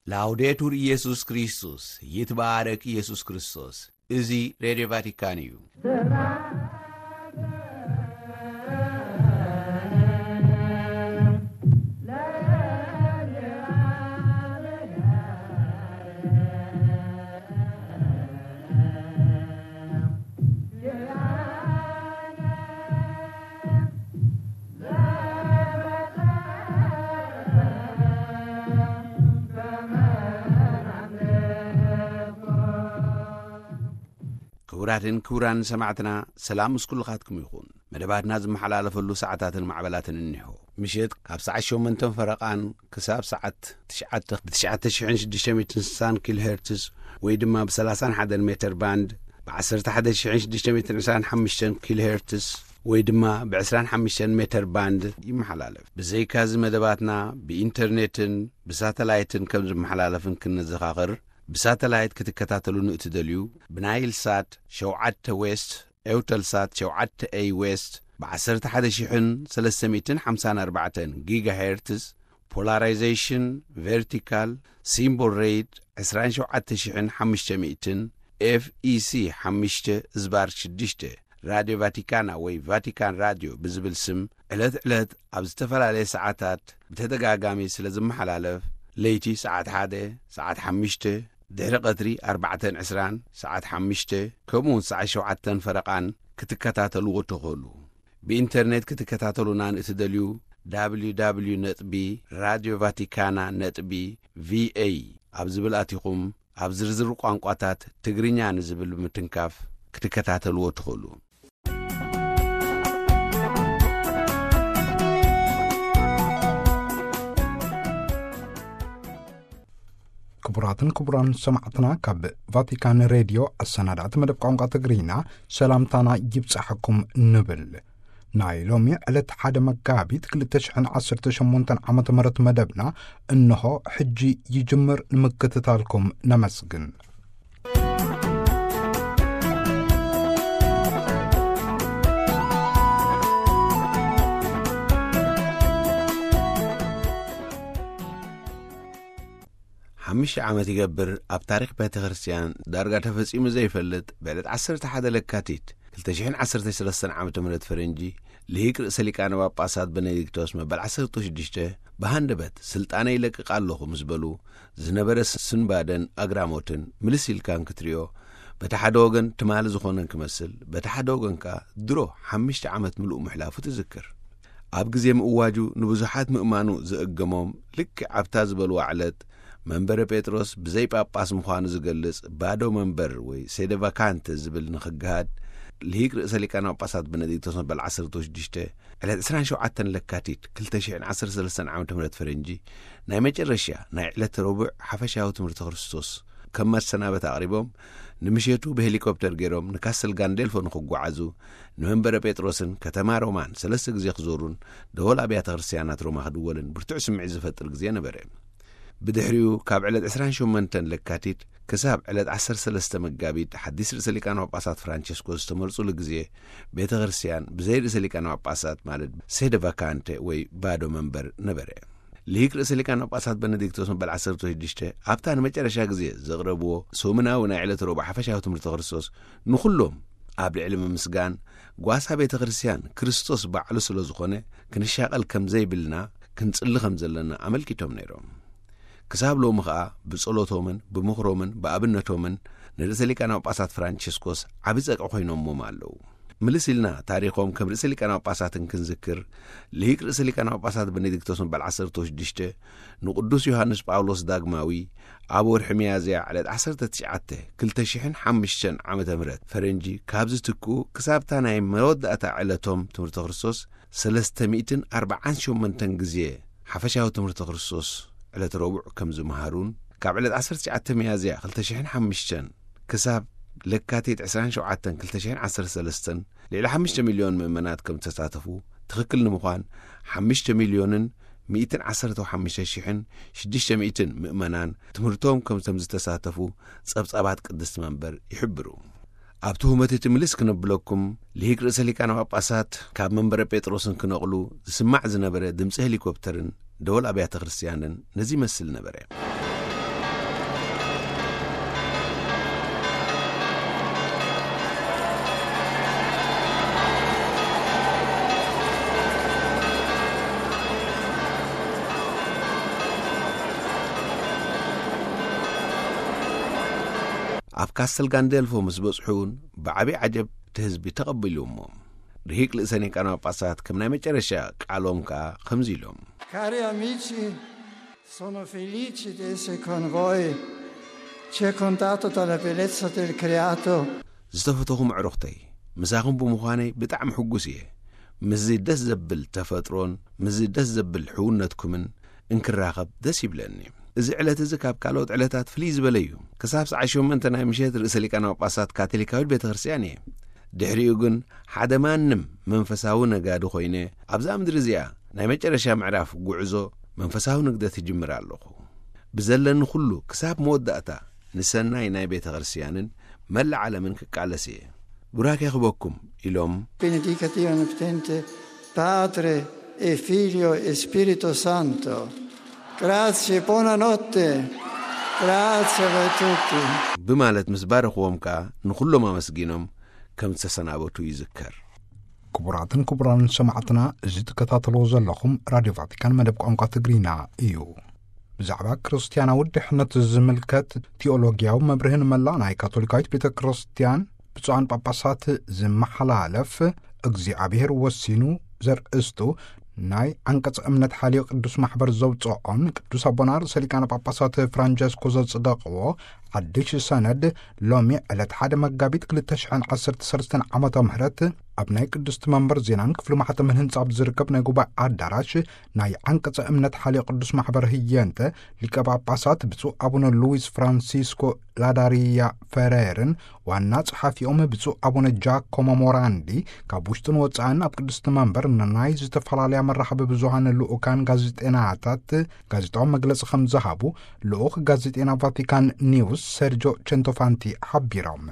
ላውዴቱር ኢየሱስ ክርስቶስ፣ ይትባረክ ኢየሱስ ክርስቶስ። እዚ ሬድዮ ቫቲካን እዩ። ክቡራትን ክቡራን ሰማዕትና፣ ሰላም ምስ ኩልኻትኩም ይኹን። መደባትና ዝመሓላለፈሉ ሰዓታትን ማዕበላትን እኒሆ። ምሸት ካብ ሰዓት ሸሞንተን ፈረቓን ክሳብ ሰዓት ትሽዓተ ብ ትሽዓተ ሽሕን ሽዱሽተ ሚእትን ስሳን ኪሎ ሄርትዝ ወይ ድማ ብ ሰላሳን ሓደን ሜተር ባንድ፣ ብ ዓሰርተ ሓደ ሽሕን ሽዱሽተ ሚእትን ዕስራን ሓሙሽተን ኪሎ ሄርትዝ ወይ ድማ ብ ዕስራን ሓሙሽተን ሜተር ባንድ ይመሓላለፍ። ብዘይካዚ መደባትና ብኢንተርኔትን ብሳተላይትን ከም ዝመሓላለፍን ክንዘኻኽር፣ ብሳተላይት ክትከታተሉ ንእትደልዩ፣ ብናይል ሳት ሸውዓተ ዌስት፣ ኤውተል ሳት ሸውዓተ ኤይ ዌስት፣ ብ ዓሰርተ ሓደ ሽሕን ሰለስተ ሚእትን ሓምሳን ኣርባዕተን ጊጋ ሄርትዝ፣ ፖላራይዜሽን ቨርቲካል፣ ሲምቦል ሬት ዕስራን ሸውዓተ ሽሕን ሓሙሽተ ሚእትን፣ ኤፍ ኢ ሲ ሓሙሽተ ዝባር ሽዱሽተ፣ ራድዮ ቫቲካና ወይ ቫቲካን ራድዮ ብዝብል ስም ዕለት ዕለት ኣብ ዝተፈላለየ ሰዓታት ብተደጋጋሚ ስለ ዝመሓላለፍ፣ ለይቲ ሰዓት ሓደ፣ ሰዓት ሓሙሽተ፣ ድሕሪ ቀትሪ ኣርባዕተን ዕስራን፣ ሰዓት ሓሙሽተ፣ ከምኡውን ሰዓት ሸውዓተን ፈረቓን ክትከታተልዎ ትኽእሉ። ብኢንተርኔት ክትከታተሉና ንእትደልዩ፣ www ነጥቢ ራድዮ ቫቲካና ነጥቢ ቪኤ ኣብ ዝብል ኣቲኹም፣ ኣብ ዝርዝር ቋንቋታት ትግርኛ ንዝብል ብምትንካፍ ክትከታተልዎ ትኽእሉ። ክቡራትን ክቡራን ሰማዕትና፣ ካብ ቫቲካን ሬድዮ ኣሰናዳእቲ መደብ ቋንቋ ትግርኛ ሰላምታና ይብጻሕኩም ንብል። ናይ ሎሚ ዕለት ሓደ መጋቢት ክልተ ሽሕን ዓሰርተ ሸሞንተን ዓመተ ምህረት መደብና እንሆ ሕጂ ይጅምር። ንምክትታልኩም ነመስግን። ሓሙሽተ ዓመት ይገብር፣ ኣብ ታሪኽ ቤተ ክርስቲያን ዳርጋ ተፈጺሙ ዘይፈልጥ፣ ብዕለት ዓሰርተ ሓደ ለካቲት ክልተ ሽሕን ዓሰርተ ሰለስተን ዓመተ ምህረት ፈረንጂ፣ ልሂቅ ርእሰ ሊቃነ ጳጳሳት በነዲክቶስ መበል ዓሰርተ ሽዱሽተ ብሃንደበት፣ "ስልጣነ ይለቅቕ ኣለኹ" ምስ በሉ፣ ዝነበረ ስንባደን ኣግራሞትን ምልስ ኢልካን ክትሪኦ፣ በቲ ሓደ ወገን ትማሊ ዝኾነን ክመስል፣ በቲ ሓደ ወገን ከኣ ድሮ ሓሙሽተ ዓመት ምሉእ ምሕላፉ ትዝክር። ኣብ ግዜ ምእዋጁ ንብዙሓት ምእማኑ ዘእገሞም፣ ልክዕ ኣብታ ዝበልዋ ዕለት፣ መንበረ ጴጥሮስ ብዘይ ጳጳስ ምዃኑ ዝገልጽ ባዶ መንበር ወይ ሴደ ቫካንተ ዝብል ንኽገሃድ፣ ልሂቅ ርእሰ ሊቃነ ጳጳሳት በነዲክቶስ መበል ዓሰርተ ሽዱሽተ፣ ዕለት ዕስራን ሸውዓተን ለካቲት ክልተ ሽሕን ዓሰርተ ሰለስተን ዓመተ ምህረት ፈረንጂ፣ ናይ መጨረሻ ናይ ዕለት ረቡዕ ሓፈሻዊ ትምህርቲ ክርስቶስ ከም መሰናበት ኣቕሪቦም፣ ንምሸቱ ብሄሊኮፕተር ገይሮም ንካስል ጋንዴልፎ ንኽጓዓዙ፣ ንመንበረ ጴጥሮስን ከተማ ሮማን ሰለስተ ግዜ ክዞሩን ደወል ኣብያተ ክርስቲያናት ሮማ ክድወልን ብርቱዕ ስምዒት ዝፈጥር ግዜ ነበረ። ብድሕሪኡ፣ ካብ ዕለት ዕስራን ሸሞንተን ለካቲት ክሳብ ዕለት ዓሰርተ ሰለስተ መጋቢት ሓዲስ ርእሰ ሊቃነ ጳጳሳት ፍራንቸስኮ ዝተመርጹሉ ግዜ፣ ቤተ ክርስቲያን ብዘይ ርእሰ ሊቃነ ጳጳሳት፣ ማለት ሴደ ቫካንተ ወይ ባዶ መንበር ነበረ። ልሂቅ ርእሰ ሊቃነ ጳጳሳት በነዲክቶስ መበል ዓሰርተ ሽዱሽተ ኣብታ ንመጨረሻ ግዜ ዘቕረብዎ ሰሙናዊ ናይ ዕለት ረቡዕ ሓፈሻዊ ትምህርቲ ክርስቶስ፣ ንኹሎም ኣብ ልዕሊ ምምስጋን፣ ጓሳ ቤተ ክርስቲያን ክርስቶስ ባዕሉ ስለ ዝኾነ፣ ክንሻቐል ከም ዘይብልና፣ ክንጽሊ ከም ዘለና ኣመልኪቶም ነይሮም። ክሳብ ሎሚ ኸኣ ብጸሎቶምን ብምኽሮምን ብኣብነቶምን ንርእሰ ሊቃነ ጳጳሳት ፍራንቸስኮስ ዓቢ ጸግዒ ኮይኖሞም ኣለዉ። ምልስ ኢልና ታሪኾም ከም ርእሰ ሊቃነ ጳጳሳትን ክንዝክር፣ ልሂቅ ርእሰ ሊቃነ ጳጳሳት በኔዲክቶስ መበል ዓሰርተ ሽዱሽተ ንቅዱስ ዮሃንስ ጳውሎስ ዳግማዊ ኣብ ወርሒ ሚያዝያ ዕለት ዓሰርተ ትሽዓተ ክልተ ሽሕን ሓሙሽተን ዓመተ ምህረት ፈረንጂ ካብ ዝትክኡ፣ ክሳብታ ናይ መወዳእታ ዕለቶም ትምህርቲ ክርስቶስ ሰለስተ ሚእትን ኣርባዓን ሸሞንተን ግዜ ሓፈሻዊ ትምህርቲ ክርስቶስ ዕለት ረቡዕ ከም ዝመሃሩን፣ ካብ ዕለት ዓሰርተ ትሽዓተ ሚያዝያ ክልተ ሽሕን ሓሙሽተን ክሳብ ለካቲት ዕስራን ሸውዓተን ክልተ ሽሕን ዓሰርተ ሰለስተን ልዕሊ ሓሙሽተ ሚልዮን ምእመናት ከም ዝተሳተፉ፣ ትኽክል ንምዃን ሓሙሽተ ሚልዮንን ሚእትን ዓሰርተ ሓሙሽተ ሽሕን ሽዱሽተ ሚእትን ምእመናን ትምህርቶም ከም፣ ከም ዝተሳተፉ ጸብጻባት ቅድስቲ መንበር ይሕብሩ። ኣብቲ ህመት እቲ ምልስ ክነብለኩም፣ ልሂቅ ርእሰ ሊቃነ ጳጳሳት ካብ መንበረ ጴጥሮስን ክነቕሉ ዝስማዕ ዝነበረ ድምጺ ሄሊኮፕተርን ደወል ኣብያተ ክርስቲያንን ነዚ ይመስል ነበረ። ኣብ ካስተል ጋንደልፎ ምስ በጽሑ እውን ብዓቢ ዓጀብ እቲ ህዝቢ ተቐቢሉዎም። ርሂቅ ልእሰ ሊቃነ ጳጳሳት ከም ናይ መጨረሻ ቃሎም ከኣ ከምዚ ኢሎም። Cari amici, sono felice di essere con voi, circondato dalla bellezza del creato. ዝተፈተኹም ኣዕሩኽተይ፣ ምሳኹም ብምዃነይ ብጣዕሚ ሕጉስ እየ። ምስዚ ደስ ዘብል ተፈጥሮን ምስዚ ደስ ዘብል ሕውነትኩምን እንክራኸብ ደስ ይብለኒ። እዚ ዕለት እዚ ካብ ካልኦት ዕለታት ፍልይ ዝበለ እዩ። ክሳብ ሰዓት ሸሞንተ ናይ ምሸት ርእሰ ሊቃነ ጳጳሳት ካቶሊካዊት ቤተ ክርስቲያን እየ። ድሕሪኡ ግን ሓደ ማንም መንፈሳዊ ነጋዲ ኮይነ ኣብዛ ምድሪ እዚኣ ናይ መጨረሻ ምዕራፍ ጉዕዞ መንፈሳዊ ንግደት እጅምር ኣለኹ። ብዘለኒ ኩሉ ክሳብ መወዳእታ ንሰናይ ናይ ቤተ ክርስቲያንን መላእ ዓለምን ክቃለስ እየ። ቡራኬ ክበኩም ኢሎም። Benedica Dio Onnipotente, Padre e Figlio e Spirito Santo. Grazie, buonanotte. Grazie a voi tutti. ብማለት ምስ ባረኽዎም ከኣ ንኹሎም ኣመስጊኖም ከም ዝተሰናበቱ ይዝከር። ክቡራትን ክቡራንን ሰማዕትና፣ እዚ ትከታተልዎ ዘለኹም ራድዮ ቫቲካን መደብ ቋንቋ ትግርኛ እዩ። ብዛዕባ ክርስትያናዊ ድሕነት ዝምልከት ቲኦሎጊያዊ መብርህን መላእ ናይ ካቶሊካዊት ቤተ ክርስቲያን ብፁዓን ጳጳሳት ዝመሓላለፍ እግዚኣብሔር ወሲኑ ዘርእስቱ ናይ ዓንቀጸ እምነት ሓልዮ ቅዱስ ማሕበር ዘውፅኦን ቅዱስ ኣቦና ርእሰ ሊቃነ ጳጳሳት ፍራንቸስኮ ዘጽደቕዎ ሓድሽ ሰነድ ሎሚ ዕለት ሓደ መጋቢት ክልተ ሽሕን ዓሰርተ ሰለስተን ዓመተ ምህረት ኣብ ናይ ቅድስቲ መንበር ዜናን ክፍሊ ማሕተምን ህንጻ ኣብ ዝርከብ ናይ ጉባኤ ኣዳራሽ ናይ ዓንቀጸ እምነት ሓልዮ ቅዱስ ማሕበር ህየንተ ሊቀ ጳጳሳት ብፁዕ ኣቡነ ሉዊስ ፍራንሲስኮ ላዳሪያ ፈሬርን ዋና ጸሓፊኦም ብፁዕ ኣቡነ ጃኮሞ ሞራንዲ ካብ ውሽጥን ወጻእን ኣብ ቅድስቲ መንበር ንናይ ዝተፈላለያ መራኸቢ ብዙሃን ልኡካን ጋዜጠናታት ጋዜጣዊ መግለጺ ከም ዝሃቡ ልኡኽ ጋዜጠና ቫቲካን ኒውስ ሰርጆ ቸንቶፋንቲ ሓቢሮም።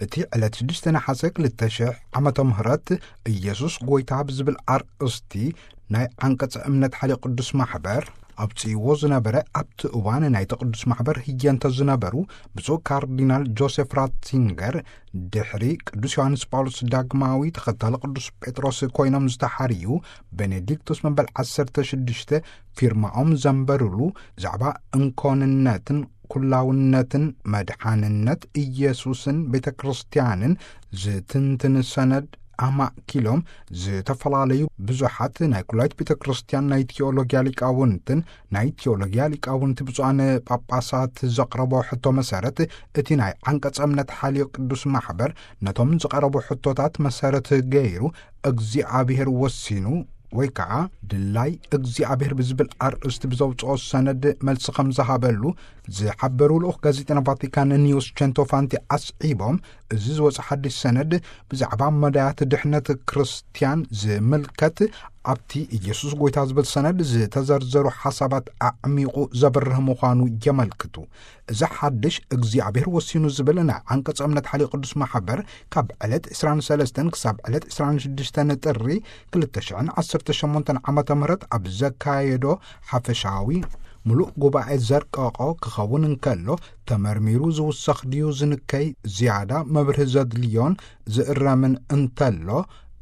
እቲ ዕለት ሽዱሽተ ነሓሰ ክልተ ሽሕ ዓመተ ምህረት ኢየሱስ ጎይታ ብዝብል ኣርእስቲ ናይ ዓንቀጸ እምነት ሓልዮ ቅዱስ ማሕበር ኣብጽይዎ ዝነበረ ኣብቲ እዋን ናይቲ ቅዱስ ማሕበር ህየንተ ዝነበሩ ብፁዕ ካርዲናል ጆሴፍ ራትሲንገር ድሕሪ ቅዱስ ዮሃንስ ጳውሎስ ዳግማዊ ተኸታሊ ቅዱስ ጴጥሮስ ኮይኖም ዝተሓርዩ ቤኔዲክቶስ መበል ዓሰርተ ሽዱሽተ ፊርማኦም ዘንበሩሉ ብዛዕባ እንኮንነትን ኩላውነትን መድሓንነት ኢየሱስን ቤተ ክርስቲያንን ዝትንትን ሰነድ ኣማእኪሎም ዝተፈላለዩ ብዙሓት ናይ ኩላይት ቤተ ክርስቲያን ናይ ቲዮሎጊያ ሊቃውንትን ናይ ቲዮሎጊያ ሊቃውንቲ ብፁዓን ጳጳሳት ዘቕረቦ ሕቶ መሰረት እቲ ናይ ዓንቀጸ እምነት ሓልዮ ቅዱስ ማሕበር ነቶም ዝቐረቡ ሕቶታት መሰረት ገይሩ እግዚኣብሔር ወሲኑ ወይ ከዓ ድላይ እግዚኣብሔር ብዝብል ኣርእስቲ ብዘውፅኦ ሰነድ መልሲ ከም ዝሃበሉ ዝሓበሩ ልኡኽ ጋዜጠና ቫቲካን ኒውስ ቸንቶፋንቲ ኣስዒቦም፣ እዚ ዝወፀ ሓድሽ ሰነድ ብዛዕባ መዳያት ድሕነት ክርስትያን ዝምልከት ኣብቲ ኢየሱስ ጎይታ ዝብል ሰነድ ዝተዘርዘሩ ሓሳባት ኣዕሚቑ ዘብርህ ምዃኑ የመልክቱ። እዚ ሓድሽ እግዚኣብሔር ወሲኑ ዝብል ናይ ዓንቀጸ እምነት ሓልዮ ቅዱስ ማሕበር ካብ ዕለት ዕስራን ሰለስተን ክሳብ ዕለት ዕስራን ሽዱሽተን ጥሪ ክልተ ሽሕን ዓሰርተ ሸሞንተን ዓመተ ምህረት ኣብ ዘካየዶ ሓፈሻዊ ምሉእ ጉባኤ ዘርቀቖ ክኸውን እንከሎ፣ ተመርሚሩ ዝውሰኽ ድዩ ዝንከይ ዝያዳ መብርሂ ዘድልዮን ዝእረምን እንተሎ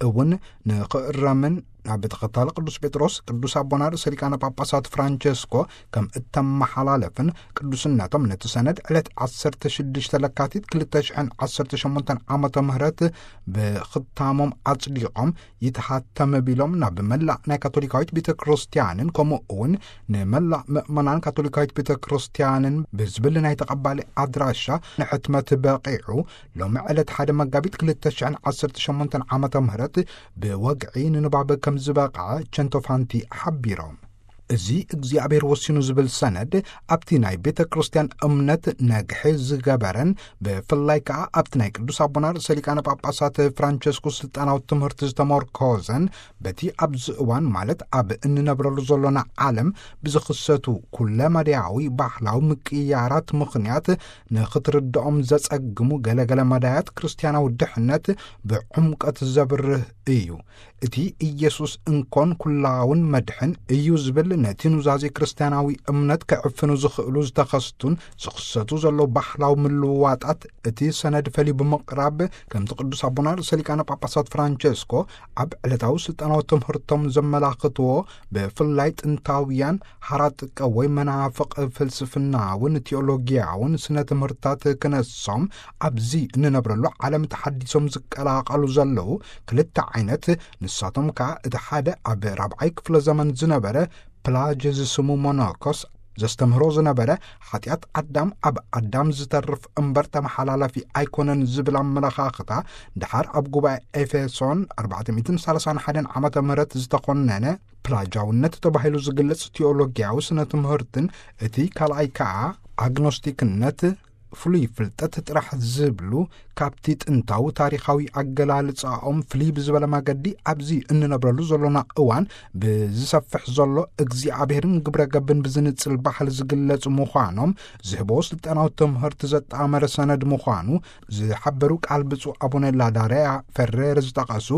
እውን ንኽእረምን ናብ ተኸታሊ ቅዱስ ጴጥሮስ ቅዱስ ኣቦና ርእሰ ሊቃነ ጳጳሳት ፍራንቸስኮ ከም እተመሓላለፍን ቅዱስነቶም ነቲ ሰነድ ዕለት ዓሰርተ ሽዱሽተ ለካቲት ክልተ ሽሕን ዓሰርተ ሸሞንተን ዓመተ ምህረት ብኽታሞም ኣጽዲቖም ይትሃተም ቢሎም ናብ መላእ ናይ ካቶሊካዊት ቤተ ክርስቲያንን ከምኡ እውን ንመላእ ምእመናን ካቶሊካዊት ቤተ ክርስቲያንን ብዝብል ናይ ተቐባሊ ኣድራሻ ንሕትመት በቒዑ ሎሚ ዕለት ሓደ መጋቢት ክልተ ሽሕን ዓሰርተ ሸሞንተን ዓመተ ምህረት ብወግዒ ንንባብ ከም ዝበቕዐ ቸንቶፋንቲ ሓቢሮም። እዚ እግዚኣብሔር ወሲኑ ዝብል ሰነድ ኣብቲ ናይ ቤተ ክርስቲያን እምነት ነግሒ ዝገበረን ብፍላይ ከኣ ኣብቲ ናይ ቅዱስ ኣቦና ርእሰ ሊቃነ ጳጳሳት ፍራንቸስኮ ስልጣናዊ ትምህርቲ ዝተመርኮዘን በቲ ኣብዚ እዋን ማለት ኣብ እንነብረሉ ዘሎና ዓለም ብዝኽሰቱ ኩለ መዳያዊ ባህላዊ ምቅያራት ምኽንያት ንኽትርድኦም ዘጸግሙ ገለገለ መዳያት ክርስትያናዊ ድሕነት ብዕምቀት ዘብርህ እዩ። እቲ ኢየሱስ እንኮን ኩላውን መድሕን እዩ ዝብል ነቲ ኑዛዜ ክርስትያናዊ እምነት ክዕፍኑ ዝኽእሉ ዝተኸስቱን ዝኽሰቱ ዘለዉ ባህላዊ ምልውዋጣት እቲ ሰነድ ፈልዩ ብምቕራብ፣ ከምቲ ቅዱስ ኣቦና ርእሰ ሊቃነ ጳጳሳት ፍራንቸስኮ ኣብ ዕለታዊ ስልጣናዊ ትምህርቶም ዘመላኽትዎ፣ ብፍላይ ጥንታውያን ሐራጥቀ ወይ መናፍቕ ፍልስፍናውን ቲዮሎጊያውን ስነ ትምህርታት ክነሶም፣ ኣብዚ እንነብረሉ ዓለም ተሓዲሶም ዝቀላቐሉ ዘለዉ ክልተ ዓይነት፣ ንሳቶም ከኣ እቲ ሓደ ኣብ ራብዓይ ክፍለ ዘመን ዝነበረ ፕላጅ ዝስሙ ሞኖኮስ ዘስተምህሮ ዝነበረ፣ ሓጢኣት ኣዳም ኣብ ኣዳም ዝተርፍ እምበር ተመሓላላፊ ኣይኮነን ዝብል ኣመለኻኽታ፣ ድሓር ኣብ ጉባኤ ኤፌሶን ኣርባዕተ ሚእትን ሰላሳን ሓደን ዓመተ ምህረት ዝተኾነነ፣ ፕላጃውነት ተባሂሉ ዝግለጽ ቲዮሎጊያዊ ስነ ትምህርትን፣ እቲ ካልኣይ ከኣ ኣግኖስቲክነት፣ ፍሉይ ፍልጠት ጥራሕ ዝብሉ፣ ካብቲ ጥንታዊ ታሪኻዊ ኣገላልጻኦም ፍልይ ብዝበለ መገዲ ኣብዚ እንነብረሉ ዘሎና እዋን ብዝሰፍሕ ዘሎ እግዚኣብሔርን ግብረ ገብን ብዝንጽል ባህል ዝግለጹ ምዃኖም ዝህቦ ስልጣናዊ ትምህርቲ ዘጣመረ ሰነድ ምዃኑ ዝሓበሩ ቃል ብፁዕ ኣቡነ ላዳርያ ፈሬረ ዝጠቐሱ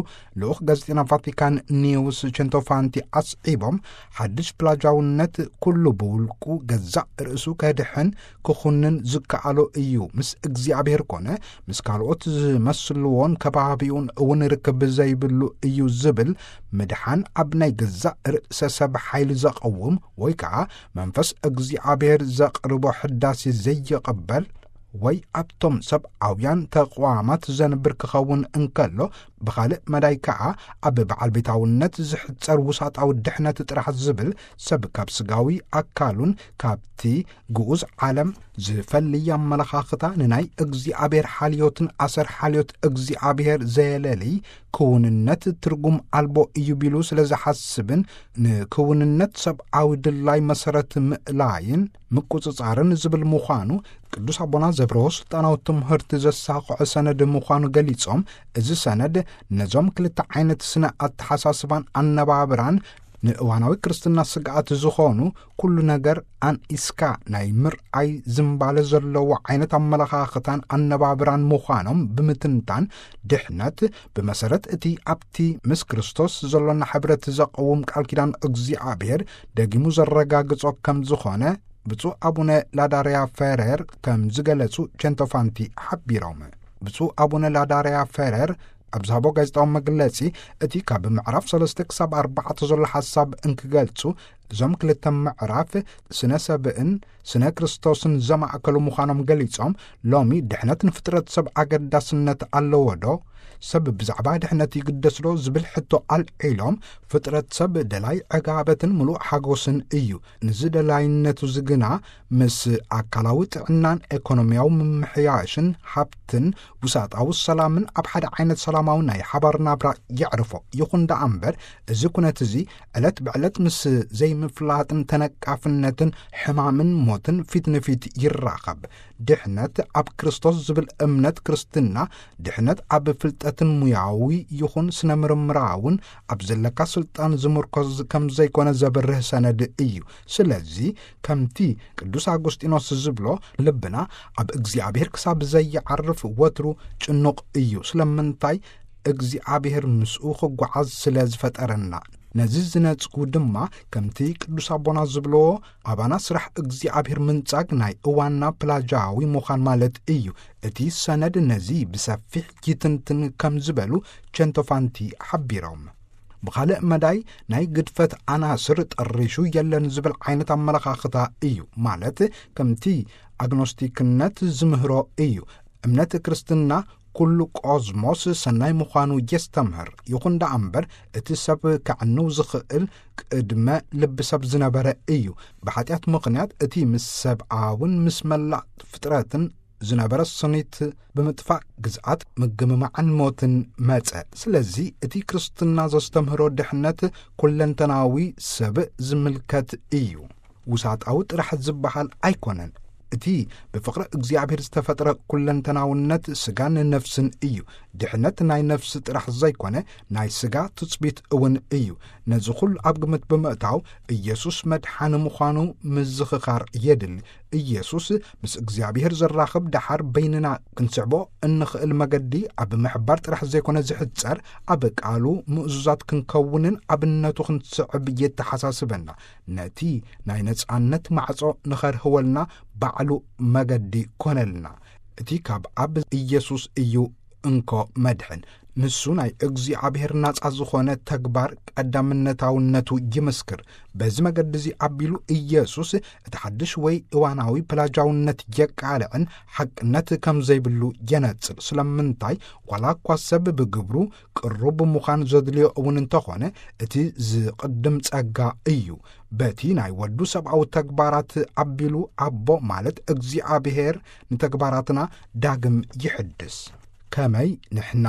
ልኡኽ ጋዜጠኛ ቫቲካን ኒውስ ቸንቶፋንቲ ኣስዒቦም፣ ሓድሽ ፕላጃውነት ኩሉ ብውልቁ ገዛእ ርእሱ ከድሕን ክኹንን ዝከኣሎ እዩ። ምስ እግዚኣብሔር ኮነ ምስ ካልኦት ዝመስልዎን ከባቢኡን እውን ርክብ ዘይብሉ እዩ ዝብል ምድሓን ኣብ ናይ ገዛእ ርእሰ ሰብ ሓይሊ ዘቐውም ወይ ከዓ መንፈስ እግዚኣብሔር ዘቕርቦ ሕዳሴ ዘይቕበል ወይ ኣብቶም ሰብኣውያን ተቕዋማት ዘንብር ክኸውን እንከሎ፣ ብኻልእ መዳይ ከኣ ኣብ በዓል ቤታውነት ዝሕጸር ውሳጣዊ ድሕነት ጥራሕ ዝብል ሰብ ካብ ስጋዊ ኣካሉን ካብቲ ግኡዝ ዓለም ዝፈልይ ኣመለኻኽታ ንናይ እግዚኣብሔር ሓልዮትን ኣሰር ሓልዮት እግዚኣብሔር ዘየለልይ ክውንነት ትርጉም ኣልቦ እዩ ቢሉ ስለ ዝሓስብን ንክውንነት ሰብኣዊ ድላይ መሰረት ምእላይን ምቁጽጻርን ዝብል ምዃኑ ቅዱስ ኣቦና ዘብርሆ ስልጣናዊ ትምህርቲ ዘሳኽዖ ሰነድ ምዃኑ ገሊጾም፣ እዚ ሰነድ ነዞም ክልተ ዓይነት ስነ ኣተሓሳስባን ኣነባብራን ንእዋናዊ ክርስትና ስግኣት ዝኾኑ ኩሉ ነገር ኣንኢስካ ናይ ምርኣይ ዝምባለ ዘለዎ ዓይነት ኣመለኻኽታን ኣነባብራን ምዃኖም ብምትንታን፣ ድሕነት ብመሰረት እቲ ኣብቲ ምስ ክርስቶስ ዘሎና ሕብረት ዘቐውም ቃል ኪዳን እግዚኣብሔር ደጊሙ ዘረጋግጾ ከም ዝኾነ ብፁዕ ኣቡነ ላዳርያ ፈረር ከም ዝገለጹ ቸንቶፋንቲ ሓቢሮም። ብፁዕ ኣቡነ ላዳርያ ፈረር ኣብ ዝሃቦ ጋዜጣዊ መግለጺ፣ እቲ ካብ ምዕራፍ ሰለስተ ክሳብ ኣርባዕተ ዘሎ ሓሳብ እንክገልጹ፣ እዞም ክልተ ምዕራፍ ስነ ሰብእን ስነ ክርስቶስን ዘማእከሉ ምዃኖም ገሊጾም፣ ሎሚ ድሕነት ንፍጥረት ሰብ ኣገዳስነት ኣለዎ ዶ? ሰብ ብዛዕባ ድሕነት ይግደስ ዶ ዝብል ሕቶ ኣልዒሎም፣ ፍጥረት ሰብ ደላይ ዕጋበትን ምሉእ ሓጎስን እዩ። ንዚ ደላይነቱ እዚ ግና ምስ ኣካላዊ ጥዕናን ኤኮኖሚያዊ ምምሕያሽን ሃብትን ውሳጣዊ ሰላምን ኣብ ሓደ ዓይነት ሰላማዊ ናይ ሓባር ናብራ የዕርፎ። ይኹን ደኣ እምበር፣ እዚ ኩነት እዚ ዕለት ብዕለት ምስ ዘይምፍላጥን ተነቃፍነትን ሕማምን ሞትን ፊት ንፊት ይራኸብ። ድሕነት ኣብ ክርስቶስ ዝብል እምነት ክርስትና፣ ድሕነት ኣብ ፍልጠትን ሙያዊ ይኹን ስነ ምርምራውን ኣብ ዘለካ ስልጣን ዝምርኮዝ ከም ዘይኮነ ዘብርህ ሰነድ እዩ። ስለዚ ከምቲ ቅዱስ ኣጎስጢኖስ ዝብሎ፣ ልብና ኣብ እግዚኣብሔር ክሳብ ዘይዓርፍ ወትሩ ጭኑቕ እዩ። ስለምንታይ? እግዚኣብሔር ምስኡ ክጓዓዝ ስለ ዝፈጠረና። ነዚ ዝነጽጉ ድማ፣ ከምቲ ቅዱስ ኣቦና ዝብልዎ፣ ኣባና ስራሕ እግዚኣብሔር ምንጻግ ናይ እዋንና ፕላጃዊ ምዃን ማለት እዩ። እቲ ሰነድ ነዚ ብሰፊሕ ይትንትን ከም ዝበሉ ቸንቶፋንቲ ሓቢሮም። ብኻልእ መዳይ፣ ናይ ግድፈት ኣናስር ጠሪሹ የለን ዝብል ዓይነት ኣመለኻኽታ እዩ። ማለት፣ ከምቲ ኣግኖስቲክነት ዝምህሮ እዩ። እምነት ክርስትና ኩሉ ቆዝሞስ ሰናይ ምዃኑ የስተምህር። ይኹን ደኣ እምበር፣ እቲ ሰብ ከዕንው ዝኽእል ቅድመ ልቢ ሰብ ዝነበረ እዩ። ብሓጢኣት ምኽንያት እቲ ምስ ሰብኣውን ምስ መላእ ፍጥረትን ዝነበረ ስኒት ብምጥፋእ፣ ግዝኣት፣ ምግምማዕን ሞትን መጸ። ስለዚ እቲ ክርስትና ዘስተምህሮ ድሕነት ኩለንተናዊ ሰብ ዝምልከት እዩ። ውሳጣዊ ጥራሕ ዝበሃል ኣይኮነን። እቲ ብፍቕሪ እግዚኣብሔር ዝተፈጥረ ኩለንተናውነት ስጋን ነፍስን እዩ። ድሕነት ናይ ነፍሲ ጥራሕ ዘይኮነ፣ ናይ ስጋ ትጽቢት እውን እዩ። ነዚ ኩሉ ኣብ ግምት ብምእታው፣ ኢየሱስ መድሓኒ ምዃኑ ምዝኽኻር የድሊ። ኢየሱስ ምስ እግዚኣብሔር ዘራኽብ ደሓር በይንና ክንስዕቦ እንኽእል መገዲ ኣብ ምሕባር ጥራሕ ዘይኮነ ዝሕጸር፣ ኣብ ቃሉ ምእዙዛት ክንከውንን ኣብነቱ ክንስዕብ የተሓሳስበና። ነቲ ናይ ነጻነት ማዕጾ ንኸርህወልና ባዕሉ መገዲ ኮነልና። እቲ ካብ ኣብ ኢየሱስ እዩ እንኮ መድሕን። ንሱ ናይ እግዚኣብሔር ናጻ ዝኾነ ተግባር ቀዳምነታውነቱ ይምስክር። በዚ መገዲ እዚ ኣቢሉ ኢየሱስ እቲ ሓድሽ ወይ እዋናዊ ፕላጃውነት የቃልዕን ሓቅነት ከም ዘይብሉ የነጽር። ስለምንታይ? ዋላ እኳ ሰብ ብግብሩ ቅሩብ ምዃን ዘድልዮ እውን እንተኾነ፣ እቲ ዝቕድም ጸጋ እዩ። በቲ ናይ ወዱ ሰብኣዊ ተግባራት ኣቢሉ ኣቦ ማለት እግዚኣብሔር ንተግባራትና ዳግም ይሕድስ። ከመይ ንሕና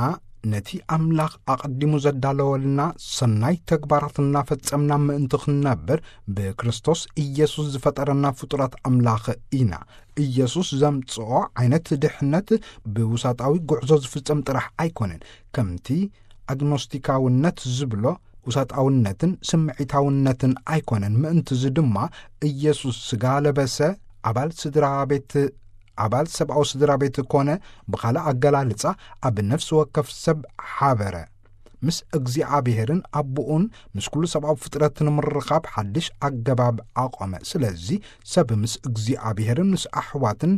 ነቲ ኣምላኽ ኣቐዲሙ ዘዳለወልና ሰናይ ተግባራት እናፈጸምና ምእንቲ ክንነብር ብክርስቶስ ኢየሱስ ዝፈጠረና ፍጡራት ኣምላኽ ኢና። ኢየሱስ ዘምጽኦ ዓይነት ድሕነት ብውሳጣዊ ጉዕዞ ዝፍጸም ጥራሕ ኣይኮነን። ከምቲ ኣግኖስቲካውነት ዝብሎ ውሳጣውነትን ስምዒታውነትን ኣይኮነን። ምእንትዚ ድማ ኢየሱስ ስጋ ለበሰ፣ ኣባል ስድራ ቤት፣ ኣባል ሰብኣዊ ስድራ ቤት ኮነ፣ ብኻልእ ኣገላልጻ ኣብ ነፍሲ ወከፍ ሰብ ሓበረ። ምስ እግዚኣብሔርን ኣቦኡን ምስ ኩሉ ሰብኣዊ ፍጥረት ንምርኻብ ሓድሽ ኣገባብ ኣቖመ። ስለዚ ሰብ ምስ እግዚኣብሔርን ምስ ኣሕዋትን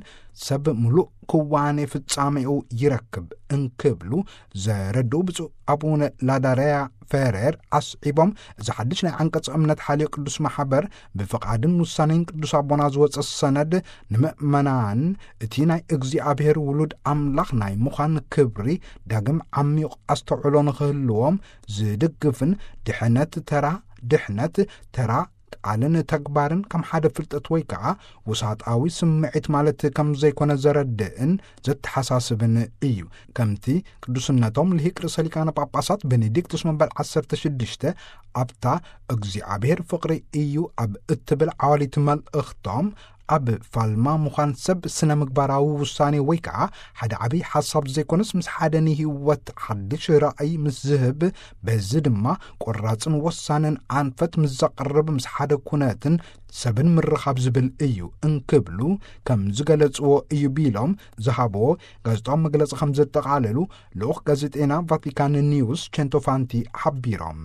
ሰብ ምሉእ ክዋኔ ፍጻሜኡ ይረክብ እንክብሉ ዘረድኡ ብፁዕ ኣቡነ ላዳርያ ፈሬር ኣስዒቦም፣ እዚ ሓድሽ ናይ ዓንቀጸ እምነት ሓልዮ ቅዱስ ማሕበር ብፍቓድን ውሳኔን ቅዱስ ኣቦና ዝወጸ ሰነድ ንምእመናን እቲ ናይ እግዚኣብሔር ውሉድ ኣምላኽ ናይ ምዃን ክብሪ ዳግም ዓሚቕ ኣስተውዕሎ ንኽህልዎም ዝድግፍን ድሕነት ተራ ድሕነት ተራ ቃልን ተግባርን ከም ሓደ ፍልጠት ወይ ከኣ ውሳጣዊ ስምዒት ማለት ከም ዘይኮነ ዘረድእን ዘተሓሳስብን እዩ። ከምቲ ቅዱስነቶም ልሂቅ ርእሰ ሊቃነ ጳጳሳት ቤኔዲክቱስ መበል ዓሰርተ ሽዱሽተ ኣብታ እግዚኣብሔር ፍቕሪ እዩ ኣብ እትብል ዓዋሊት መልእኽቶም፣ ኣብ ፋልማ ምዃን ሰብ ስነ ምግባራዊ ውሳኔ ወይ ከኣ ሓደ ዓብዪ ሓሳብ ዘይኮነስ ምስ ሓደ ንህይወት ሓድሽ ራእይ ምስ ዝህብ፣ በዚ ድማ ቆራጽን ወሳንን ኣንፈት ምስ ዘቕርብ ምስ ሓደ ኩነትን ሰብን ምርኻብ ዝብል እዩ እንክብሉ ከም ዝገለጽዎ እዩ ቢሎም ዝሃብዎ ጋዜጣዊ መግለጺ ከም ዘጠቓለሉ ልኡኽ ጋዜጠና ቫቲካን ኒውስ ቼንቶፋንቲ ሓቢሮም።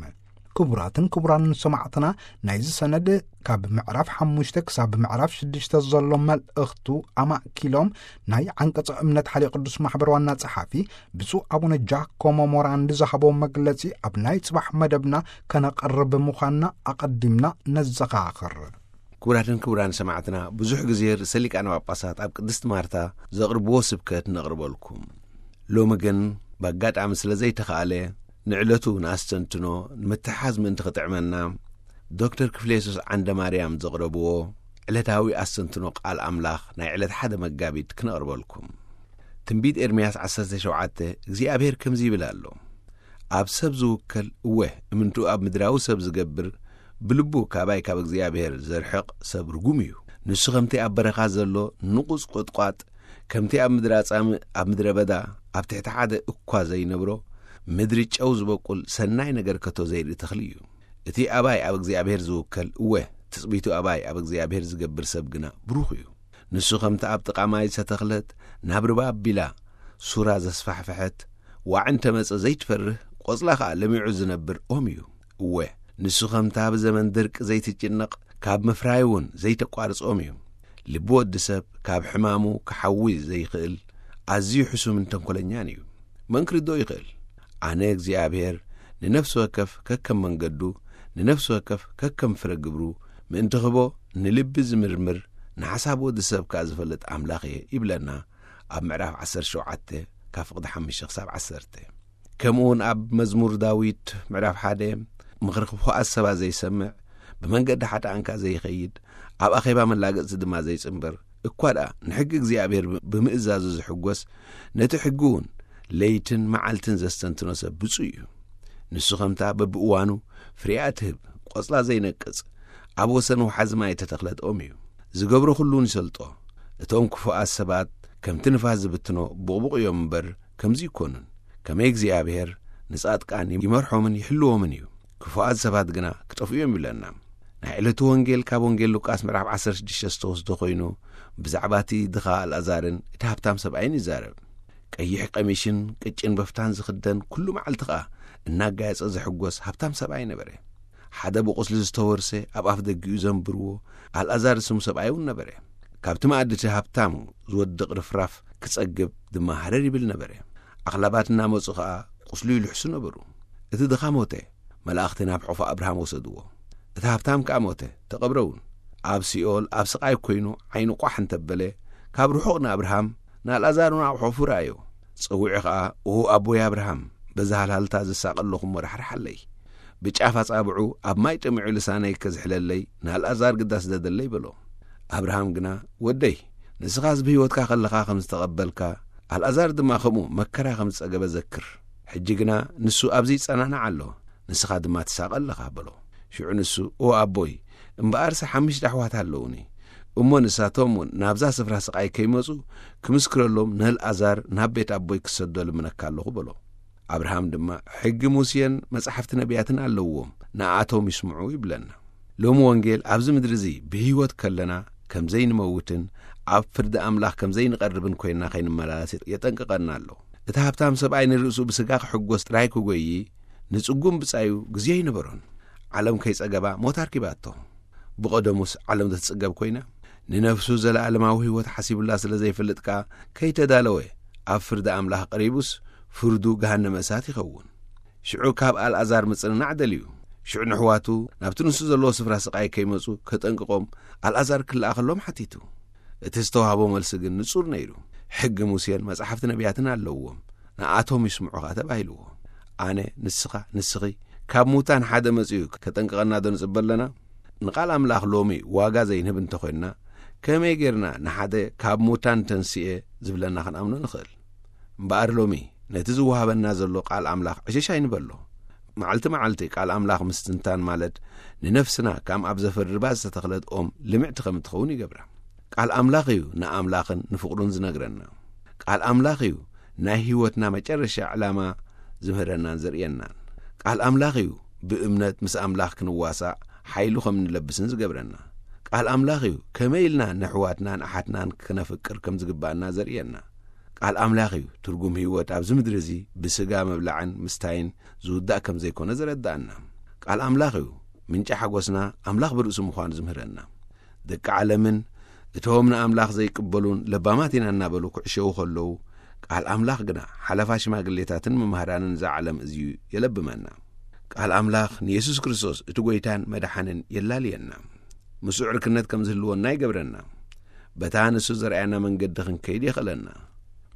ክቡራትን ክቡራንን ሰማዕትና፣ ናይዚ ሰነድ ካብ ምዕራፍ ሓሙሽተ ክሳብ ምዕራፍ ሽዱሽተ ዘሎ መልእኽቱ ኣማእኪሎም ናይ ዓንቀጸ እምነት ሓልዮ ቅዱስ ማሕበር ዋና ጸሓፊ ብፁዕ ኣቡነ ጃኮሞ ሞራንዲ ዝሃቦ መግለጺ ኣብ ናይ ጽባሕ መደብና ከነቕርብ ምዃንና ኣቐዲምና ነዘኻኽር። ክቡራትን ክቡራን ሰማዕትና፣ ብዙሕ ግዜ ርእሰ ሊቃነ ጳጳሳት ኣብ ቅድስት ማርታ ዘቕርብዎ ስብከት ነቕርበልኩም። ሎሚ ግን ብኣጋጣሚ ስለ ዘይተኻእለ፣ ንዕለቱ ንኣስተንትኖ ንምትሓዝ ምእንቲ ክጥዕመና፣ ዶክተር ክፍሌሶስ ዓንደ ማርያም ዘቕረብዎ ዕለታዊ ኣስተንትኖ ቃል ኣምላኽ ናይ ዕለት ሓደ መጋቢት ክነቕርበልኩም። ትንቢት ኤርምያስ ዓሰርተ ሸውዓተ እግዚኣብሔር ከምዚ ይብል ኣሎ፣ ኣብ ሰብ ዝውከል፣ እወ፣ እምንቱ ኣብ ምድራዊ ሰብ ዝገብር፣ ብልቡ ካባይ ካብ እግዚኣብሔር ዘርሕቕ ሰብ ርጉም እዩ። ንሱ ከምቲ ኣብ በረኻ ዘሎ ንቑጽ ቁጥቋጥ፣ ከምቲ ኣብ ምድሪ ኣጻምእ ኣብ ምድረ በዳ ኣብ ትሕቲ ሓደ እኳ ዘይነብሮ፣ ምድሪ ጨው ዝበቁል ሰናይ ነገር ከቶ ዘይርኢ ተኽሊ እዩ። እቲ ኣባይ ኣብ እግዚኣብሔር ዝውከል፣ እወ፣ ትጽቢቱ ኣባይ ኣብ እግዚኣብሔር ዝገብር ሰብ ግና ብሩኽ እዩ። ንሱ ከምቲ ኣብ ጥቓ ማይ ዝተተኽለት፣ ናብ ርባ ኣቢላ ሱራ ዘስፋሕፈሐት፣ ዋዒ እንተ መጸ ዘይትፈርህ፣ ቈጽላ ኸኣ ለሚዑ ዝነብር ኦም እዩ። እወ፣ ንሱ ኸምታ ብዘመን ድርቂ ዘይትጭነቕ፣ ካብ ምፍራይ እውን ዘይተቋርጽ ኦም እዩ። ልቢ ወዲ ሰብ ካብ ሕማሙ ክሓዊ ዘይኽእል፣ ኣዝዩ ሕሱምን ተንኮለኛን እዩ። መን ክርድኦ ይኽእል? ኣነ እግዚኣብሔር ንነፍሲ ወከፍ ከከም መንገዱ፣ ንነፍሲ ወከፍ ከከም ፍረ ግብሩ ምእንቲ ኽቦ፣ ንልቢ ዝምርምር፣ ንሓሳብ ወዲ ሰብ ከኣ ዝፈልጥ ኣምላኽ እየ ይብለና ኣብ ምዕራፍ ዓሰርተ ሸውዓተ ካብ ፍቕዲ ሓሙሽተ ክሳብ ዓሰርተ። ከምኡ እውን ኣብ መዝሙር ዳዊት ምዕራፍ ሓደ፣ ምኽሪ ክፉኣት ሰባት ዘይሰምዕ፣ ብመንገዲ ሓጥኣን ከኣ ዘይኸይድ፣ ኣብ ኣኼባ መላገጽቲ ድማ ዘይጽንበር፣ እኳ ደኣ ንሕጊ እግዚኣብሔር ብምእዛዙ ዝሕጐስ፣ ነቲ ሕጊ እውን ለይትን መዓልትን ዘስተንትኖ ሰብ ብፁዕ እዩ። ንሱ ኸምታ በብእዋኑ ፍሬኣ ትህብ፣ ቈጽላ ዘይነቅጽ፣ ኣብ ወሰን ወሓዚ ማይ እተተኽለት ኦም እዩ። ዝገብሮ ኹሉውን ይሰልጦ። እቶም ክፉኣት ሰባት ከምቲ ንፋስ ዝብትኖ ቡቕቡቕ እዮም እምበር፣ ከምዚ ይኮኑን። ከመይ እግዚኣብሔር ንጻድቃን ይመርሖምን ይሕልዎምን እዩ፣ ክፉኣት ሰባት ግና ክጠፍኡ እዮም ይብለና። ናይ ዕለቱ ወንጌል ካብ ወንጌል ሉቃስ ምዕራፍ ዓሰርተ ሽዱሽተ ዝተወስደ ኮይኑ፣ ብዛዕባ እቲ ድኻ ኣልኣዛርን እቲ ሃብታም ሰብኣይን ይዛረብ። ቀይሕ ቀሚሽን ቅጭን በፍታን ዝኽደን፣ ኩሉ መዓልቲ ኸኣ እናጋየጸ ዝሕጎስ ሃብታም ሰብኣይ ነበረ። ሓደ ብቑስሊ ዝተወርሰ ኣብ ኣፍ ደጊኡ ዘንብርዎ ኣልኣዛር ዝስሙ ሰብኣይ እውን ነበረ። ካብቲ መኣዲ እቲ ሃብታም ዝወድቕ ርፍራፍ ክጸግብ ድማ ሃረር ይብል ነበረ። ኣኽላባት እናመጹ ኸኣ ቁስሉ ይልሕሱ ነበሩ። እቲ ድኻ ሞተ። መላእኽቲ ናብ ሑፍ ኣብርሃም ወሰድዎ። እቲ ሃብታም ከኣ ሞተ፣ ተቐብረ እውን። ኣብ ሲኦል ኣብ ስቓይ ኮይኑ ዓይኑ ቋሕ እንተበለ፣ ካብ ርሑቕ ንኣብርሃም፣ ንኣልኣዛር እውን ኣብ ሑፉ ረኣዮ። ጸዊዑ ኸኣ፣ "ኦ ኣቦይ ኣብርሃም፣ በዛ ሃልሃልታ ዝሳቐ ኣለኹ እሞ ራሕርሓለይ። ብጫፍ ኣጻብዑ ኣብ ማይ ጠሚዑ ልሳነይ ከዝሕለለይ ንኣልኣዛር ግዳ ስደደለይ" በሎ። ኣብርሃም ግና፣ "ወደይ፣ ንስኻስ ብህይወትካ ከለኻ ከም ዝተቐበልካ፣ ኣልኣዛር ድማ ከምኡ መከራ ከም ዝጸገበ ዘክር። ሕጂ ግና ንሱ ኣብዚ ይጸናናዕ ኣሎ፣ ንስኻ ድማ ትሳቐ ኣለኻ" በሎ። ሽዑ ንሱ፣ "ኦ ኣቦይ፣ እምበኣርሲ ሓሙሽተ ኣሕዋት ኣለዉኒ። እሞ ንሳቶም እውን ናብዛ ስፍራ ስቓይ ከይመጹ ክምስክረሎም ንኣልኣዛር ናብ ቤት ኣቦይ ክሰዶ ልምነካ ኣለኹ" በሎ። ኣብርሃም ድማ፣ "ሕጊ ሙሴን መጻሕፍቲ ነቢያትን ኣለውዎም፣ ንኣቶም ይስምዑ" ይብለና። ሎሚ ወንጌል ኣብዚ ምድሪ እዚ ብህይወት ከለና ከም ዘይንመውትን ኣብ ፍርዲ ኣምላኽ ከም ዘይንቐርብን ኮይንና ከይንመላለስ የጠንቅቐና ኣሎ። እቲ ሃብታም ሰብኣይ ንርእሱ ብስጋ ክሕጎስ ጥራይ ክጎዪ፣ ንጽጉም ብጻዩ ግዜ ኣይነበሮን። ዓለም ከይጸገባ ሞት ኣርኪባቶ። ብቐደሙስ ዓለም ተትጽገብ ኮይና፣ ንነፍሱ ዘለኣለማዊ ህይወት ሓሲቡላ ስለ ዘይፈልጥ ከኣ፣ ከይተዳለወ ኣብ ፍርዲ ኣምላኽ ቀሪቡስ፣ ፍርዱ ገሃነመ እሳት ይኸውን። ሽዑ ካብ ኣልኣዛር ምጽንናዕ ደልዩ። ሽዑ ንኣሕዋቱ ናብቲ ንሱ ዘለዎ ስፍራ ስቓይ ከይመጹ ከጠንቅቖም ኣልኣዛር ክለኣኸሎም ሓቲቱ። እቲ ዝተዋህቦ መልሲ ግን ንጹር ነይሩ። ሕጊ ሙሴን መጻሕፍቲ ነቢያትን ኣለውዎም፣ ንኣቶም ይስምዑኻ ተባሂልዎ። ኣነ፣ ንስኻ፣ ንስኺ ካብ ሙታን ሓደ መጺኡ ከጠንቅቐና ዶ ንጽበ ኣለና? ንቓል ኣምላኽ ሎሚ ዋጋ ዘይንህብ እንተኾይንና፣ ከመይ ጌርና ንሓደ ካብ ሙታን ተንስኤ ዝብለና ክንኣምኖ ንኽእል? እምበኣር ሎሚ ነቲ ዝወሃበና ዘሎ ቃል ኣምላኽ ዕሽሽ ኣይንበሎ። መዓልቲ መዓልቲ ቃል ኣምላኽ ምስትንታን ማለት ንነፍስና ከም ኣብ ዘፈር ርባ ዝተተኽለት ኦም ልምዕቲ ከም እትኸውን ይገብራ። ቃል ኣምላኽ እዩ ንኣምላኽን ንፍቕሩን ዝነግረና። ቃል ኣምላኽ እዩ ናይ ህይወትና መጨረሻ ዕላማ ዝምህረናን ዘርእየናን። ቃል ኣምላኽ እዩ ብእምነት ምስ ኣምላኽ ክንዋሳእ ሓይሉ ከም እንለብስን ዝገብረና። ቃል ኣምላኽ እዩ ከመይ ኢልና ነሕዋትናን ኣሓትናን ክነፍቅር ከም ዝግባኣና ዘርእየና። ቃል ኣምላኽ እዩ ትርጉም ህይወት ኣብዚ ምድሪ እዚ ብስጋ ምብላዕን ምስታይን ዝውዳእ ከም ዘይኮነ ዘረዳእና። ቃል ኣምላኽ እዩ ምንጪ ሓጎስና ኣምላኽ ብርእሱ ምዃኑ ዝምህረና። ደቂ ዓለምን እቶም ንኣምላኽ ዘይቅበሉን ለባማት ኢና እናበሉ ክዕሸዉ ከለዉ፣ ቃል ኣምላኽ ግና ሓለፋ ሽማግሌታትን መማህራንን እዛ ዓለም እዚ የለብመና። ቃል ኣምላኽ ንየሱስ ክርስቶስ እቲ ጐይታን መድሓንን የላልየና። ምስኡ ዕርክነት ከም ዝህልወና ይገብረና። በታ ንሱ ዘርኣያና መንገዲ ክንከይድ የኽእለና።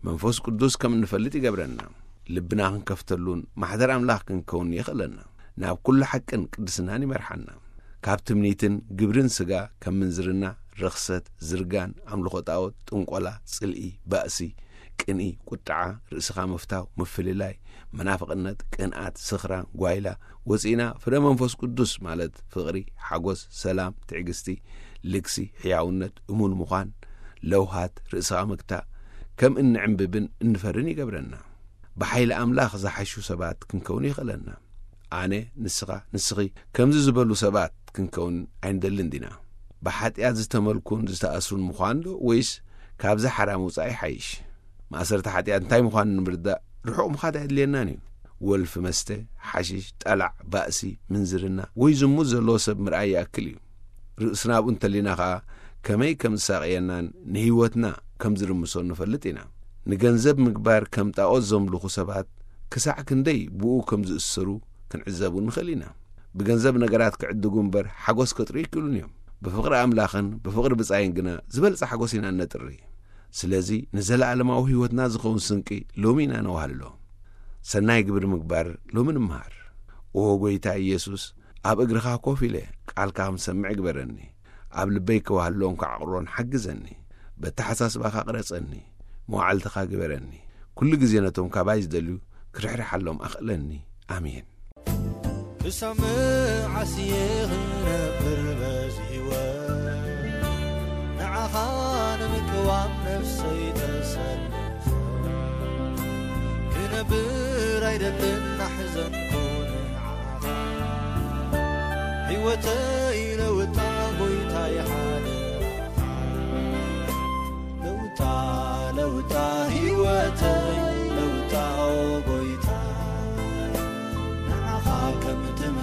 መንፈስ ቅዱስ ከም እንፈልጥ ይገብረና። ልብና ክንከፍተሉን ማሕደር ኣምላኽ ክንከውን የኽእለና። ናብ ኩሉ ሓቅን ቅድስናን ይመርሓና። ካብ ትምኒትን ግብርን ስጋ ከም ምንዝርና፣ ርኽሰት፣ ዝርጋን፣ ኣምልኾ ጣዖት፣ ጥንቆላ፣ ጽልኢ፣ ባእሲ፣ ቅንኢ፣ ቁጥዓ፣ ርእስኻ ምፍታው፣ ምፍልላይ፣ መናፍቕነት፣ ቅንኣት፣ ስኽራን፣ ጓይላ ወጺእና ፍረ መንፈስ ቅዱስ ማለት ፍቕሪ፣ ሓጎስ፣ ሰላም፣ ትዕግስቲ፣ ልግሲ፣ ሕያውነት፣ እሙን ምዃን፣ ለውሃት፣ ርእስኻ ምግታእ ከም እንዕምብብን እንፈርን ይገብረና። ብሓይሊ ኣምላኽ ዝሓሹ ሰባት ክንከውን የኽእለና። ኣነ፣ ንስኻ፣ ንስኺ ከምዚ ዝበሉ ሰባት ክንከውን ኣይንደልን ዲና? ብሓጢኣት ዝተመልኩን ዝተኣስሩን ምዃን ዶ ወይስ ካብዚ ሓራ ምውጻእ ይሓይሽ? ማእሰርቲ ሓጢኣት እንታይ ምዃኑ ንምርዳእ ርሑቕ ምኻድ ኣየድልየናን እዩ። ወልፊ መስተ፣ ሓሽሽ፣ ጠላዕ፣ ባእሲ፣ ምንዝርና ወይ ዝሙት ዘለዎ ሰብ ምርኣይ ይኣክል እዩ። ርእስና ኣብኡ እንተሊና ኸኣ ከመይ ከም ዝሳቐየናን ንህይወትና ከም ዝርምሶን ንፈልጥ ኢና። ንገንዘብ ምግባር ከም ጣኦት ዘምልኹ ሰባት ክሳዕ ክንደይ ብኡ ከም ዝእሰሩ ክንዕዘቡ ንኽእል ኢና። ብገንዘብ ነገራት ክዕድጉ እምበር ሓጎስ ከጥርዩ ኣይክእሉን እዮም። ብፍቕሪ ኣምላኽን ብፍቕሪ ብጻይን ግና ዝበልጸ ሓጎስ ኢና እነጥሪ። ስለዚ ንዘለኣለማዊ ህይወትና ዝኸውን ስንቂ ሎሚ ኢና ነዋህልሎ። ሰናይ ግብሪ ምግባር ሎሚ ንምሃር። ኦ ጐይታ ኢየሱስ፣ ኣብ እግርኻ ኮፍ ኢለ ቃልካ ክሰምዕ ግበረኒ። ኣብ ልበይ ከዋህልሎን ከዓቕሮን ሓግዘኒ። በተሓሳስባኻ ቅረጸኒ። መዋዕልትኻ ግበረኒ። ኩሉ ግዜ ነቶም ካባይ ዝደልዩ ክርሕርሓሎም ኣኽእለኒ። ኣሜን። ክሳብ መዓስ እየ ክነብር በዚ ህይወት? ንዓኻ ንምቅዋም ነፍሰይ ተሰልፈ ክነብር ኣይደልን ናሕዘንኩ ንዓኻ። ህይወተይ ለውጣ ጎይታይ ሓደራኻ።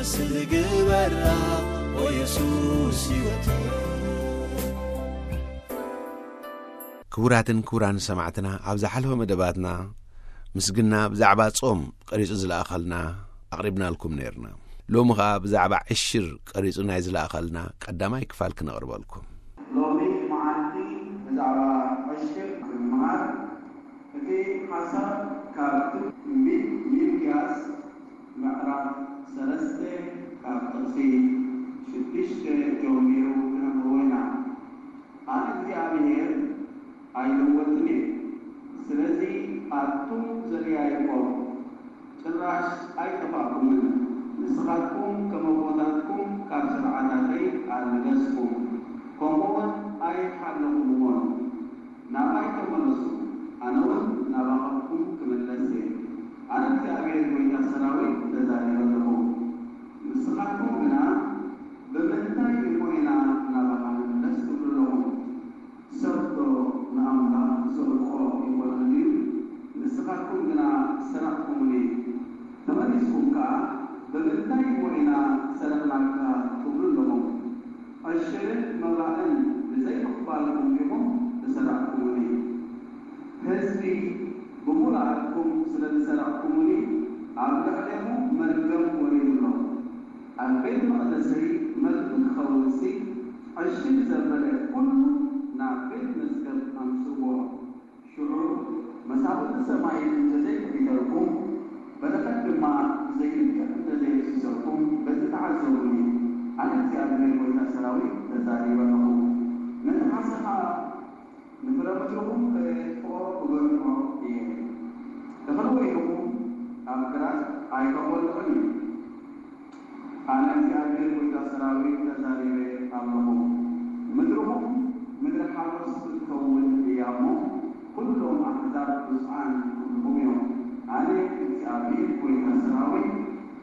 ስግበራ ኦ የሱስ ህይወት። ክቡራትን ክቡራን ሰማዕትና፣ ኣብ ዝሓለፈ መደባትና ምስግና ብዛዕባ ጾም ቀሪጹ ዝለኣኸልና ኣቕሪብናልኩም ነይርና። ሎሚ ኸኣ ብዛዕባ ዕሽር ቀሪጹ ናይ ዝለኣኸልና ቀዳማይ ክፋል ክነቕርበልኩም። ሎሚ መዓልቲ ብዛዕባ ዕሽር ክንመሃር። እቲ ሓሳብ ካብ ትንቢት ሚልክያስ ምዕራፍ ሰለስተ ካብ ጥቕሲ ሽዱሽተ ጀሚሩ ክነንብቦ ኢና። ኣነ እግዚኣብሔር ኣይልወጥን እየ። ስለዚ ኣቱም ዘደያይቦም ጭራሽ ኣይጠፋእኩምን። ንስኻትኩም ከም ኣቦታትኩም ካብ ስርዓታተይ ኣልገስኩም፣ ከምኡውን ኣይሓለኹምዎን። ናባይ ተመለሱ፣ ኣነ እውን ናባኻትኩም ክምለስ እየ። ኣነ እግዚኣብሔር ጐይታ ሰራዊት ተዛሪበ ኣለኹ። ንስኻትኩም ግና፣ "ብምንታይ እሞ ኢና ናባኻ ንምለስ?" ትብሉ ኣለኹም። ሰብ ዶ ንኣምላኽ ዝሰርቆ ይኾነን ድዩ? ንስኻትኩም ግና ሰረቕኩምኒ። ተመሊስኩም ከኣ፣ "ብምንታይ እሞ ኢና ዝሰረቕናካ?" ትብሉ ኣለኹም። ዕሽርን መባእን ብዘይምቕባልኩም ዲኹም ዝሰረቕኩምኒ? ህዝቢ ብምሉኣትኩም ስለ ዝሰረቕኩምኒ፣ ኣብ ልዕሌኹም መርገም ወሪዱ ኣሎ። ኣብ ቤት መቕደሰይ መግቢ ክኸውንሲ፣ ዕሽር ዘበለ ኩሉ ናብ ቤት መዝገብ ኣምጽዎ። ሽዑ መሳፍንቲ ሰማይ እንተዘይክሒተልኩም፣ በረኸት ድማ ብዘይልክዕ እንተዘየፍሲሰልኩም፣ በዚ ተዓዘቡኒ። ኣነ እግዚኣብሔር ጐይታ ሰራዊት ተዛሪበ ኣለኹ። ነቲ ዓሳ ኸኣ ንፍረ ምድርኹም ከየጥፍኦ እገርሖ እየ። እኽሊ ወይንኹም ኣብ ግራት ኣይከኾልዕን እዩ። ኣነ እግዚኣብሔር ጐይታ ሰራዊት ተዛሪበ ኣለኹ። ምድርኹም ምድሪ ሓጎስ ክትከውን እያ እሞ፣ ኩሎም ኣሕዛብ ብፁዓን ኩልኹም እዮም። ኣነ እግዚኣብሔር ጐይታ ሰራዊት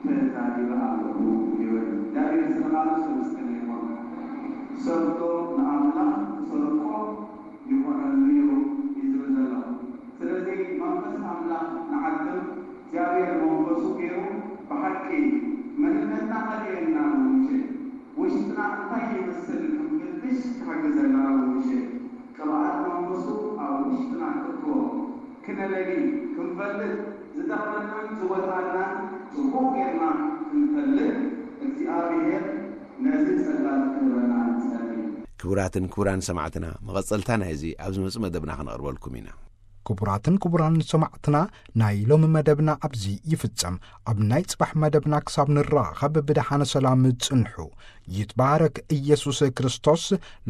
ተዛሪበ ኣለኹ ይብል። እግዚኣብሔር ስለ ቃሉ ዝተመስገነ ይኹን። ሰብ ዶ ንኣምላኽ ክሰርቆ ይኾነሉ እዩ እዩ ዝብል ዘሎ። ስለዚ መንፈስ ኣምላኽ ንዓቅም እግዚኣብሔር መንፈሱ ገይሩ ብሓቂ መንነትና ከርእየና ነው ምሸት። ውሽጥና እንታይ ይመስል ክንፍትሽ ክሕግዘና ነው ምሸት። ቅብኣት መንፈሱ ኣብ ውሽጥና ክእትዎ ክነለሊ ክንፈልጥ ዝጠቕመናን ዝወጣናን ጽቡቕ ጌርና ክንፈልጥ እግዚኣብሔር ነዚ ጸጋ ክህበና ንጸሊ። ክቡራትን ክቡራን ሰማዕትና፣ መቐጸልታ ናይዚ ኣብ ዝመጽእ መደብና ክነቕርበልኩም ኢና። ክቡራትን ክቡራን ሰማዕትና፣ ናይ ሎሚ መደብና ኣብዚ ይፍጸም። ኣብ ናይ ጽባሕ መደብና ክሳብ ንራኸብ ብደሓነ ሰላም ጽንሑ። ይትባረክ ኢየሱስ ክርስቶስ።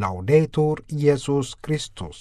ላውዴቱር ኢየሱስ ክርስቶስ።